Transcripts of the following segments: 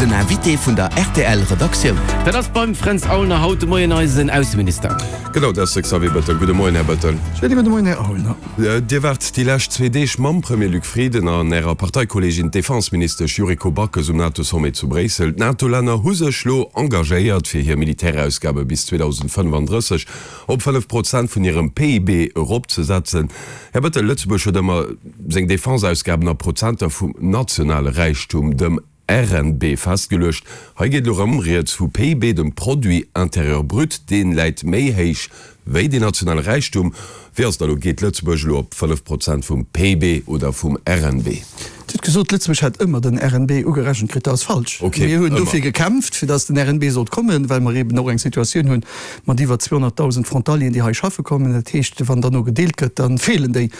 Den Invité vun der rtl Redaktioun. Dat ass beim Fränz Aulner haut de Moien eisen Ausseminister. Genau, dat ass de Xavier Bettel. Gudde Moien, Här Bettel. Schéine gudde Moien, Här Aulner. Dir waart déi lescht zwee Deeg mam Premier Luc Frieden an Ärer Parteikolleegin, d'Defenseministesch Yuriko Backes um NATO-Sommet zu Bréissel. D'NATO-Länner hu sech lo engagéiert, fir hir Militärausgabe bis 2035 op 5 Prozent vun hirem PIB eropzesetzen. Här Bettel, Lëtzebuerg huet ëmmer seng Defenseausgaben a Prozenter vum nationale Räichtum, dem RNB, festgeluecht. Hei geet elo rëm rieds vu PIB, dem Produit intérieur brut, dee läit méi héich wéi deen nationale Räichtum. Wéi ass et da elo, geet Lëtzebuerg elo op 5 Prozent vum PIB oder vum RNB? Dir hutt gesot, Lëtzebuerg hätt ëmmer den RNB ugerechent kritt. Dat ass falsch. Mir hunn dofir gekämpft, fir datt den RNB sollt kommen, well mer eeben och eng Situatioun hunn mat iwwer 200.000 Frontalieren, déi hei schaffe kommen. Dat heescht, wann dann no gedeelt gëtt, da feelen déi.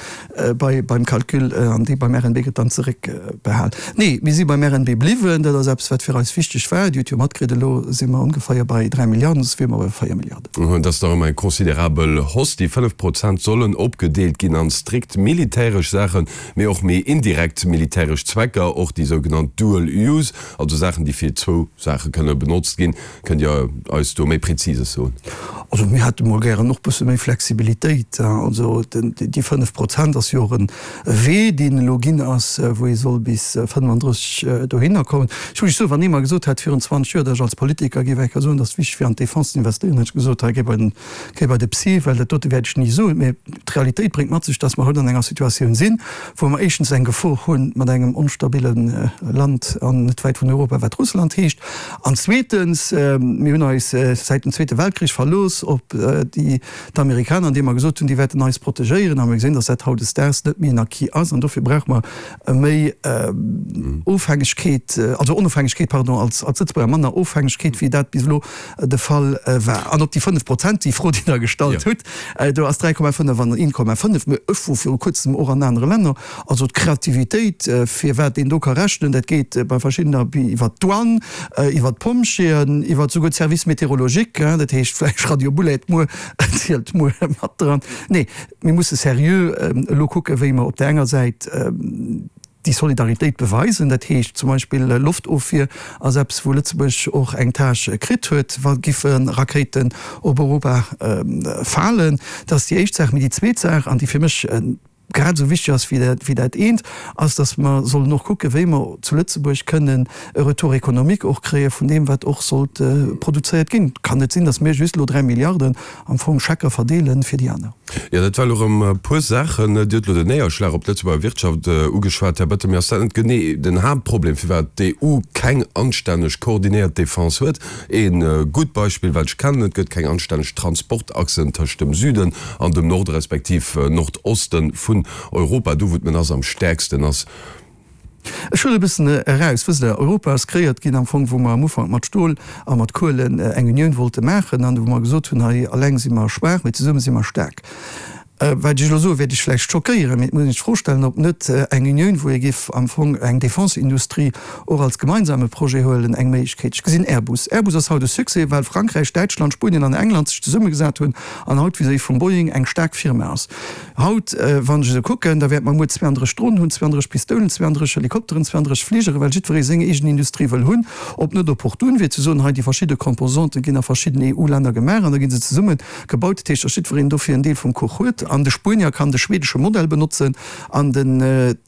Bei beim Calcul an déi beim RNB gëtt dann zeréckbehal. Nee, mir si beim RNB bliwwen. Dat ass eppes, wat fir eis wichteg war. Dir hutt jo matkritt, elo si mer ongeféier bei 3 Milliarden, soss wiere mer bei 4 Milliarden. Dat ass nach ëmmer eng considerabel Hausse. Déi 5 Prozent sollen opgedeelt ginn an strikt militäresch Saachen, mee och méi indirekt militäresch Zwecker, och déi sougenannt dual use, also Saachen, déi fir zwou Saache kënne benotzt ginn. Kënnt Dir eis do méi Präzises soen? Also mir hätte mol gären och bësse méi Flexibilitéit. Also déi 5 Prozent ass jo och e Wee, deen elo ginn ass, wou ee soll bis 35 dohinner kommen. Ech muss lech soen, wann ee mer gesot hätt virun 20 Joer, datt ech als Politiker géif eng Kéier soen, datt et wichteg wier an d'Défense ze investéieren, hätt ech gesot, hei géi bei den, géi bei de Psy, well dat dote wäert ech ni soen. Mä d'Realitéit bréngt mat sech, datt mer haut an enger Situatioun sinn, wou mer éischtens eng Gefor hu mat engem onstabille Land an net wäit vun Europa, wat Russland heescht, An zweetens, mir hunn eis säit dem Zweete Weltkrich verlooss op déi, d'Amerikaner, andeem mer gesot hunn, déi wäerten eis protegéieren. A mir gesinn, datt dat hautdesdaags net méi en Acquis ass. An dofir brauche mer méi Ofhängegkeet, also Onofhängegkeet, pardon, als Lëtzebuerger, manner Ofhängegkeet, wéi dat bis elo de Fall war. An op déi 5 Prozent, déi Fro, déi Der gestallt hutt, do ass 3,5 an 1,5, mä ech wor viru kuerzem och an anere Länner, Also d'Kreativitéit, fir wat een do ka rechnen, dat geet bei verschiddener iwwer d'Douane, iwwer d'Pompjeeën, iwwer souguer d'Service météorologique, dat heescht vläicht Radio Boulaide muer zielt muer mat dran. Nee, mir musse seriö elo kucken, wéi mer op där enger Säit déi Solidaritéit beweisen, dat heescht zum Beispill Loftofwier ass eppes, wou Lëtzebuerg och eng Tâche kritt huet, wa giffe Rakéiten op Europa falen. Dat ass déi éischt Saach. Mee déi zweet Saach, an déi fir mech grad esou wichteg ass wéi dat, wéi dat eent, ass, dass mer sollen och kucken, wéi mer zu Lëtzebuerg kënnen e Retour économique och kréie vun deem, wat och sollt produzéiert ginn. Et kann net sinn, dass mir just elo 3 Milliarden am Fong Schecker verdeele fir déi aner. Jo, dat war elo erëm e puer Saachen. Dir hutt elo den Néierschlag op d'Lëtzebuerger Wirtschaft ugeschwat, Här Bettel. Mee ass dat net genee den Haaptproblem, firwat d'EU keng anstänneg koordinéiert Defense huet? E gutt Beispill, wat ech kennen, Et gëtt keng anstänneg Transportachsen tëscht dem Süden an dem Norde respektiv Nordoste vun Europa, do wou d'Menace am stäerksten ass. Ech huelen e bëssen eraus. Wësst Der, Europa ass kreéiert ginn am Fong, wou mer am Ufank mat Stol a mat Kuelen eng Unioun wollte maachen an wou mer gesot hunn, hei eleng si mer schwaach, mee zesumme si mer staark. Wat ech elo soen, wäert Iech vläicht schockéieren, mee et muss een sech d'Fro stellen, ob net eng Unioun, wou ee géif am Fong eng Défense-Industrie och als gemeinsame Projet huelen, eng Méiglechkeet. Ech gesinn Airbus. Airbus ass haut e Succès, well Frankräich, Däitschland, Spuenien an England sech zesummegesat hunn an haut vis-à-vis vum Boeing eng staark Firma ass. Haut, wann ech esou kucken, da wäerte mer muer 32 Dronen hunn, 32 Pistoulen, 32 Helikopteren, 32 Fligere, well jiddweree seng eegen Industrie wëll hunn. Ob net opportun wier ze soen, hei déi verschidde Composanten ginn a verschidden EU-Länner gemaach an da gi se zesumme Gebaut, dat heescht, datt jiddwereen dofir en Deel vum Kuch huet, an de Spuenier kann de schwedesche Modell benotzen an den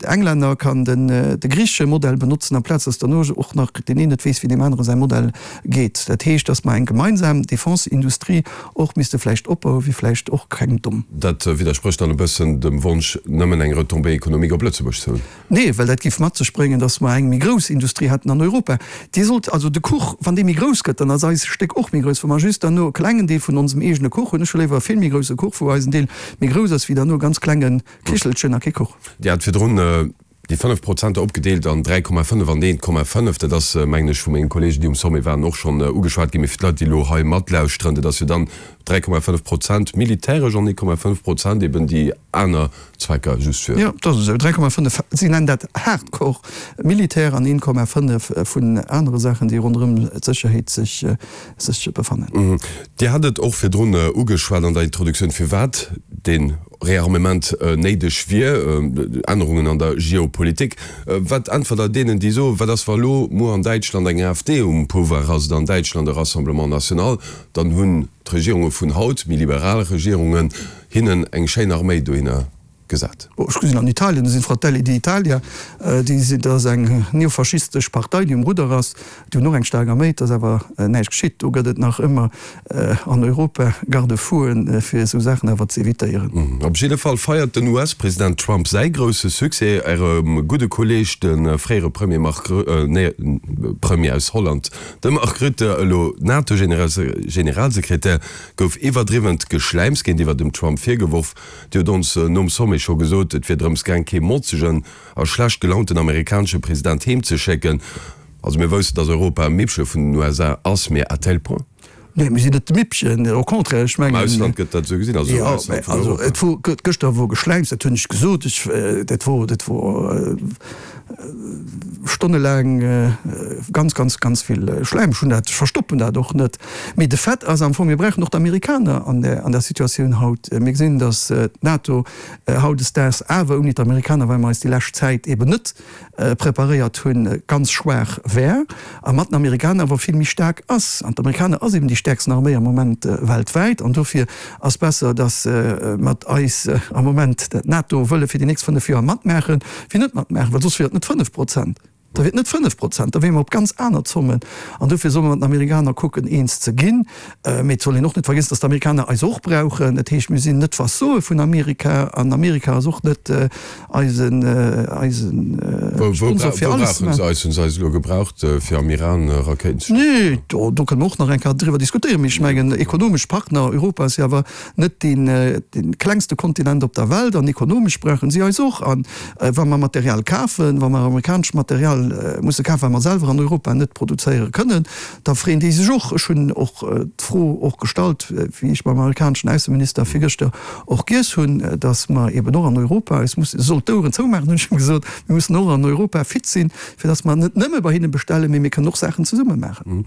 Englänner kann den de griichesche Modell benotzen, amplaz datt derno och nach deen een net weess, wéi deem anere säi Modell geet. Dat heescht, datt mer eng gemeinsam Defense-Industrie och misste vläicht opbauen, wier vläicht och keng domm. Dat widdersprécht dann e bëssen dem Wonsch, nëmmen eng Retombée économique op Lëtzebuerg ze hunn. Nee, well dat géif mat sech bréngen, datt mer eng méi grouss Industrie hätten an Europa. Dir sollt also de Kuch, wann dee méi grouss gëtt, dann ass eis Stéck och méi grouss. Wa mer just derno e klengen Deel vun onsem eegene Kuch hunn, ech hu léiwer e vill méi grousse Kuch, wou eisen Deel méi grouss ass, wéi derno e ganz klenge Kichelchen a kee Kuch. Dir hat virdrun déi 5 Prozenter opgedeelt an 3,5 an 1,5. Dat ass, mengen ech, vu mengen Kollegen, déi um Sommet waren, och schonn ugeschwat ginn. Mee fir d'Leit, déi elo hei matlauschteren, dat ass jo dann 3,5 Prozent militäresch an 1,5 Prozent eben déi aner Zwecker just fir. Jo, dat ass esou. 3,5, si nennen dat Hardcore Militär, an 1,5 vun anere Saachen, déi ronderëm d'Sécherheet sech sech befannen. Dir hat et och virdrun ugeschwat an der Introduktioun, firwat deen. Rearmement néideg wier, Ännerungen an der Geopolitik. Wat äntwert Der deenen, déi soen, wat ass wa elo muer an Däitschland eng AfD um Pouvoir ass oder an Däitschland e Rassemblement National, dann hunn d'Regierunge vun haut, méi liberal Regierungen, hinnen eng schéin Arméi dohinner gesat. Bon, ech gesinn an Italien, do sinn d'Fratelli d'Italia, déi sinn, dat ass eng neofaschistesch Partei, déi um Rudder ass, déi hunn och eng staark Arméi, et ass awer näischt geschitt. Do gëtt et nach ëmmer an Europa Garde-fouen, fir esou Saachen awer ze evitéieren. Op jidde Fall feiert den US-President Trump säi grousse Succès. Ärem gudde Kolleeg, de fréiere Premier Mark, nee, Premier aus Holland, de Mark Rutte, elo NATO-Generalsekretär, gouf iwwerdriwwent Geschläims géintiwwer dem Trump virgeworf. Dir hutt ons nom Sommet scho gesot, et wier drëms gaang, kee motzegen a schlecht gelaunten amerikanesche President heem ze schécken. Also mir woussten, datt Europa e Mippche vun den USA ass, mee à tel point? Nee, mir sinn net de Mippchen, au contraire, ech mengen. Am Ausland gëtt dat esou gesinn, also am Ausland vun Europa. Jo, mä also et gëschter wor Geschläims, dat hunn ech gesot, ech, dat wor, dat wor stonnelaang ganz, ganz, ganz vill Schläim. Ech hunn dat, ech verstoppen dat och net. Mee de Fait ass am Fong, mir brauchen och d'Amerikaner an där, an där Situatioun haut. Mir gesinn, datt d'NATO hautdesdaags awer ouni d'Amerikaner, well mer eis déi lescht Zäit eben net preparéiert hunn, ganz schwaach wär a mat den Amerikaner awer vill méi staark ass. An d'Amerikaner ass eben déi stäerksten Arméi am Moment weltwäit. An dofir ass besser, datt mat eis am Moment d'NATO wëlle fir déi nächst 5 Joer matmaachen, wéi net matmaachen, well soss wier et net 5 Prozent. Da wier et net 5 Prozent, da wiere mer op ganz aner Zommen. An dofir solle mer mat den Amerikaner kucken, eens ze ginn. Mee et soll een och net vergiessen, datt d'Amerikaner eis och brauchen. Dat heescht, mir sinn net d'Vassoe vun Amerika an Amerika ass och net eisen, eisen Sponsor fir alles. Wou brauchen se eis? Hunn se eis elo gebraucht, fir am Iran Rakéiten ze schéissen? Nee, do, do kënne mer och nach eng Kéier driwwer diskutéieren. Mee ech mengen, ekonomesch Partner, Europa ass jo awer net dee, dee klengste Kontinent op der Welt an ekonomesch brauchen si eis och. An wa mer Material kafen, wa mer amerikanescht Material musse kafen, wat mer selwer an Europa net produzéiere kënnen, Da freeën déi sech och. Ech hunn och d'Fro och gestallt, wéi ech mam amerikaneschen Ausseminister virgëschter och giess hunn, datt mer eben och an Europa eis mussen, e soll d'Oueren zoumaachen, hunn ech him gesot, mir mussen och an Europa fit sinn, fir datt mer net nëmme bei hinne bestellen, mee mir kënnen och Saachen zesumme maachen.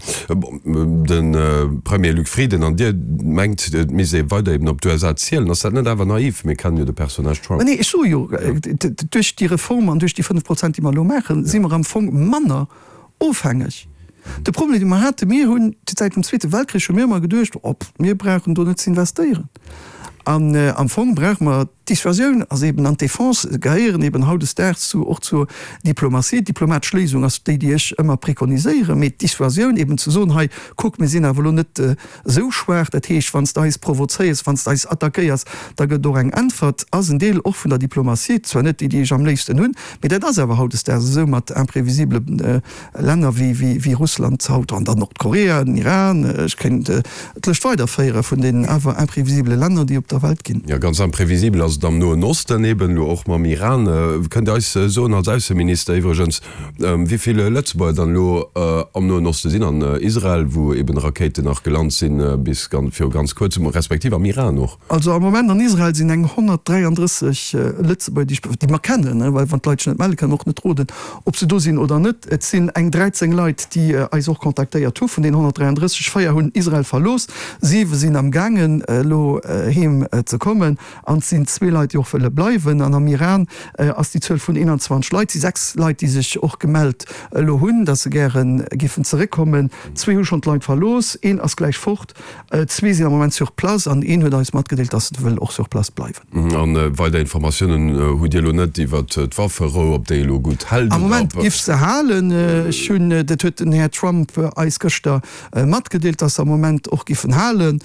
De Premier Luc Frieden an Dir mengt, et misst ee weider eben op d'USA zielen. Ass dat net awer naiv? Mir kennen jo de Personnage Trump. Mä nee, ech soe jo, duerch déi Reform an duerch déi 5 Prozent, déi mer elo maachen, si mer am Fong manner Ofhängeg. De Problem, dee mer haten, mir hunn säit dem Zweete Weltkrich hu mir ëmmer geduecht, oh, mir brauchen do net ze investéieren. An am Fong brauche mer, d'Dissuasioun ass eben an d'Defense gehéieren eben hautdesdaags zu och zur Diplomatie. D'diplomatesch Léisung ass déi, déi ech ëmmer preconiséieren, mee d'Dissuasioun eben ze soen, hei kuck, mir sinn awer elo net esou schwaach, dat heescht, wann s de eis provozéiers, wann s de eis attackéiers, da gëtt et och eng Äntwert, ass en Deel och vun der Diplomatie, zwar net déi, déi ech am léifsten hunn, mee dat ass awer hautdesdaags esou mat imprévisibele Länner wéi Russland haut an dann Nordkorea, den Iran, ech kéint d'Lëscht weiderféiere vun deenen awer imprévisibele Länner, déi op der Welt ginn. Jo, ganz imprévisibel ass et am Noen Osten eben elo och mam Iran. Kënnt Dir eis soen, als Ausseminister iwwregens, Wéi vill Lëtzebuerger dann elo am Noen Oste sinn, an Israel, wou eben Rakéiten nach gelant sinn bis viru ganz kuerzem, respektiv am Iran och? Also am Moment an Israel sinn eng 133 Lëtzebuerger, déi ech, déi mer kennen, well wann d'Leit sech net melle kënnen, och net roden, ob se do sinn oder net. Et sinn eng 13 Leit, déi eis och kontaktéiert hu vun deenen 133. Véier hunn Israel verlooss, siwe sinn am gaangen elo heem ze kommen. An et sinn zwee Leit, déi och wëlle bleiwen. An am Iran ass déi Zuel vun 21 Leit. Et si 6 Leit, déi sech och gemellt elo hunn, datt se gäre géifen zeréckkommen. Zwee hu schonn d'Land verlooss, een ass gläich fort, zwee sinn am Moment sur place an een huet eis matgedeelt, datt en wëll och sur place bleiwen. A weider Informatiounen hutt Dir elo net iwwert d'Wafferou, ob déi elo gutt hält Am oder Moment ob. giff se halen. Ech hunn, dat huet den Här Trump eis gëschter matgedeelt, datt se am Moment och giffen halen.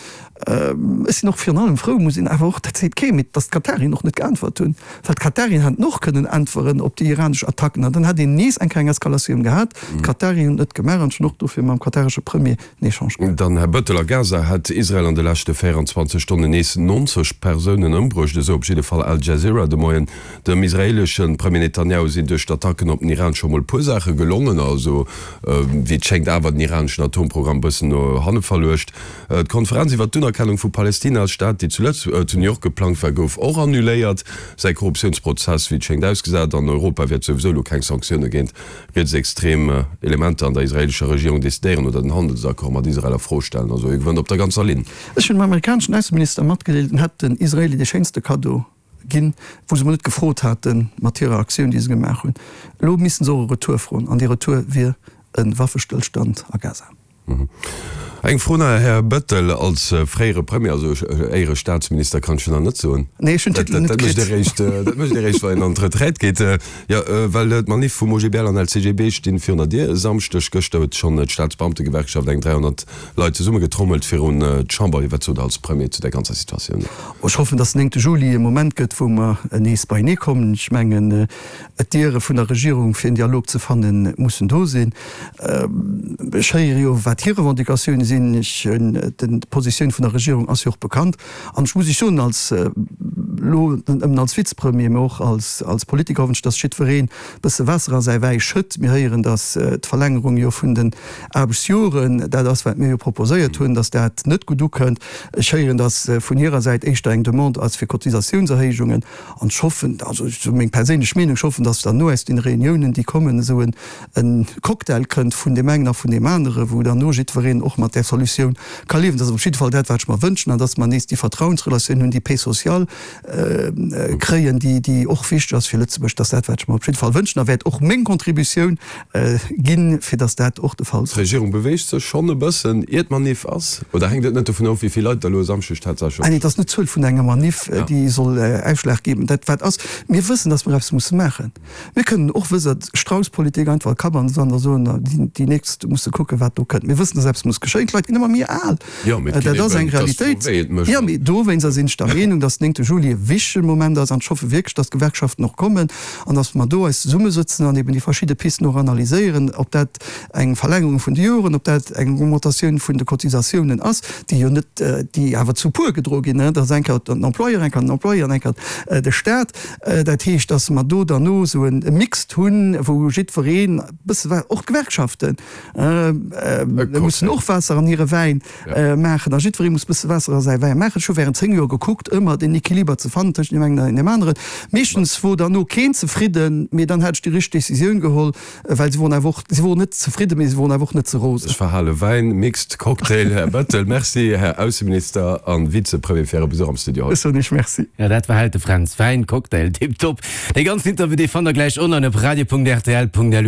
Ech sinn och virun allem frou, muss een awer och, dat seet kee, mee datt d'Katarien och net geäntwert hunn, well d'Katarien hätten och kënnen äntweren op déi iranesch Attacken an dann hätt een nees eng kleng Eskalatioun gehat. D'Katarien hunn et net gemaach an ech hunn och dofir mam kataresche Premier en Echange gehat. Dann, Här Bettel, a Gaza hätt Israel an de leschte 24 Stonnen nees 90 Persounen ëmbruecht, esou op jidde Fall Al Jazeera de Moien. Dem israeelesche Premier Netanjahu sinn duerch d'Attacken op den Iran scho mol e puer Saache gelongen, also wéi et schéngt awer den iraneschen Atomprogramm e bëssen no hanne verluecht. D'Konferenz iwwer d'Unerkennung vu Palestina als Staat, déi zu zu New York geplangt war, gouf och annuléiert. Säi Korruptiounsprozess, wéi et schéngt, ausgesat. An Europa wäert souwisou elo keng Sanktioune géint rietsextrem Elementer an der israeelescher Regierung decidéieren oder den Handelsaccord mat Israel a Fro stellen. Also hie gewënnt op der ganzer Linn. Ech hunn dem amerikaneschen Ausseminister matgedeelt, en hätt den Israeli dee schéinste Kaddo. ginn, wou se mol net gefrot haten, mat hirer Aktioun, déi se gemaach hunn. Elo missten se och e Retour froen, an dee Retour wier e Waffestëllstand a Gaza. Eng Fro nach, Här Bettel, als fréiere Premier, also Éierestaatsminister kann ech jo nach net soen. Nee, ech hunn den Titel net kritt. Dat mécht ee réischt, wann een an d'Retraite geet. Jo, well d'Manif vum OGBL an LCGB stinn virun der Dier e Samschdeg. Gëschter huet schonn d'Staatsbeamtegewerkschaft eng 300 Leit zesummegetrommelt virun d'Chamber. Wat sot Der als Premier zu där ganzer Situatioun? Ech hoffen, datt den 9 Juli e Moment gëtt, wou mer nees beienee kommen. Ech mengen, D'Diere vun der Regierung fir en Dialog ze fannen, mussen do sinn. Ech héiere jo, wat hir Revendicatioune sinn. Ech hunn, d'Positioun vun der Regierung ass jo och bekannt. An ech muss Iech soen, als, elo net nëmmen als Vizepremier, mä och als, als Politiker hoffen ech, datt jiddwereen e bësse Waasser a säi Wäi schëtt. Mir héieren, datt d'Verlängerung jo vun den Aarbechtsjoren, dat ass wat mir jo proposéiert hunn, datt dat net gutt ukënnt. Ech héieren, datt vun hirer Säit éischter eng Demande ass fir Cotisatiounserhéijungen. An ech hoffen, also esou meng perséinlech Meenung, ech hoffen, datt dann no aus deene Reuniounen, déi kommen, esou en Cocktail kënnt vun deem engen a vun deem anere, wou dann no jiddwereen och mat där Solutioun ka liewen. Dat ass op jidde Fall dat, wat ech mer wënschen, an datt mer nees déi Vertrauensrelatioun hunn, déi Paix sociale kréien, déi och wichteg ass fir Lëtzebuerg. Dat ass dat, wat ech mer op jidde Fall wënschen a wäert och meng Contributioun ginn, fir datt dat och de Fall soll. D'Regierung beweegt sech schonn e bëssen, ier d'Manif ass, oder hänkt et net dovun of, wéi vill Leit der elo e Samschdeg tatsächlech op. Nee, et ass net d'Zuel vun enger Manif, déi soll Ausschlag geben. Dat wat ass, mir wëssen, datt mer eppes musse maachen. Mir kënnen och, wësst Der, d'Strauss-Politik einfach e Kapp an de Sand a soen, déi nächst musse kucken, wat do kënnt. Mir wëssen, datt eppes muss geschéien. D'Leit ginn ëmmer méi al. Dat ass eng Realitéit. Jo, mee dowéinster sinn ech der Meenung, datt den 9 Juli e wichtege Moment ass. An ech hoffe wierklech, datt d'Gewerkschaften och kommen an datt mer do eis zesummesëtzen an eben déi verschidde Pisten och analyséieren, ob dat eng Verlängerung vun de Joren, ob dat eng Augmentatioun vun de Cotisatiounen ass, déi jo net, déi awer zu puer gedroe ginn, dat ass eng Kéier den Employeur, eng Kéier den Employé an eng Kéier de Stat. Dat heescht, datt mer do derno esou e Mixed hunn, wou jiddwereen e bësse wat, och d'Gewerkschaften mussen och Waasser an hire Wäin maachen a jiddweree muss e bësse Waasser a säi Wäin maachen. Ech hu während 10 Joer gekuckt, ëmmer den Equiliber ze fannen tëschent deem engen an deem aneren. Meeschtens wor derno keen zefridden, mee dann hat ech déi richteg Décisioun geholl, well si woren awer och, si woren net zefridden, mee si woren awer och net ze rosen. Ech verhale Wäin, Mixed Cocktail. Här Bettel, Merci, Här Ausseminister a Vizepremier, fir Äre Besuch am Studio haut. Ech soen Iech Merci. Jo, dat war hält de Fränz. Wäin, Cocktail, tiptop. Dee ganzen Interview, dee fannt der gläich online op radio.rtl.lu.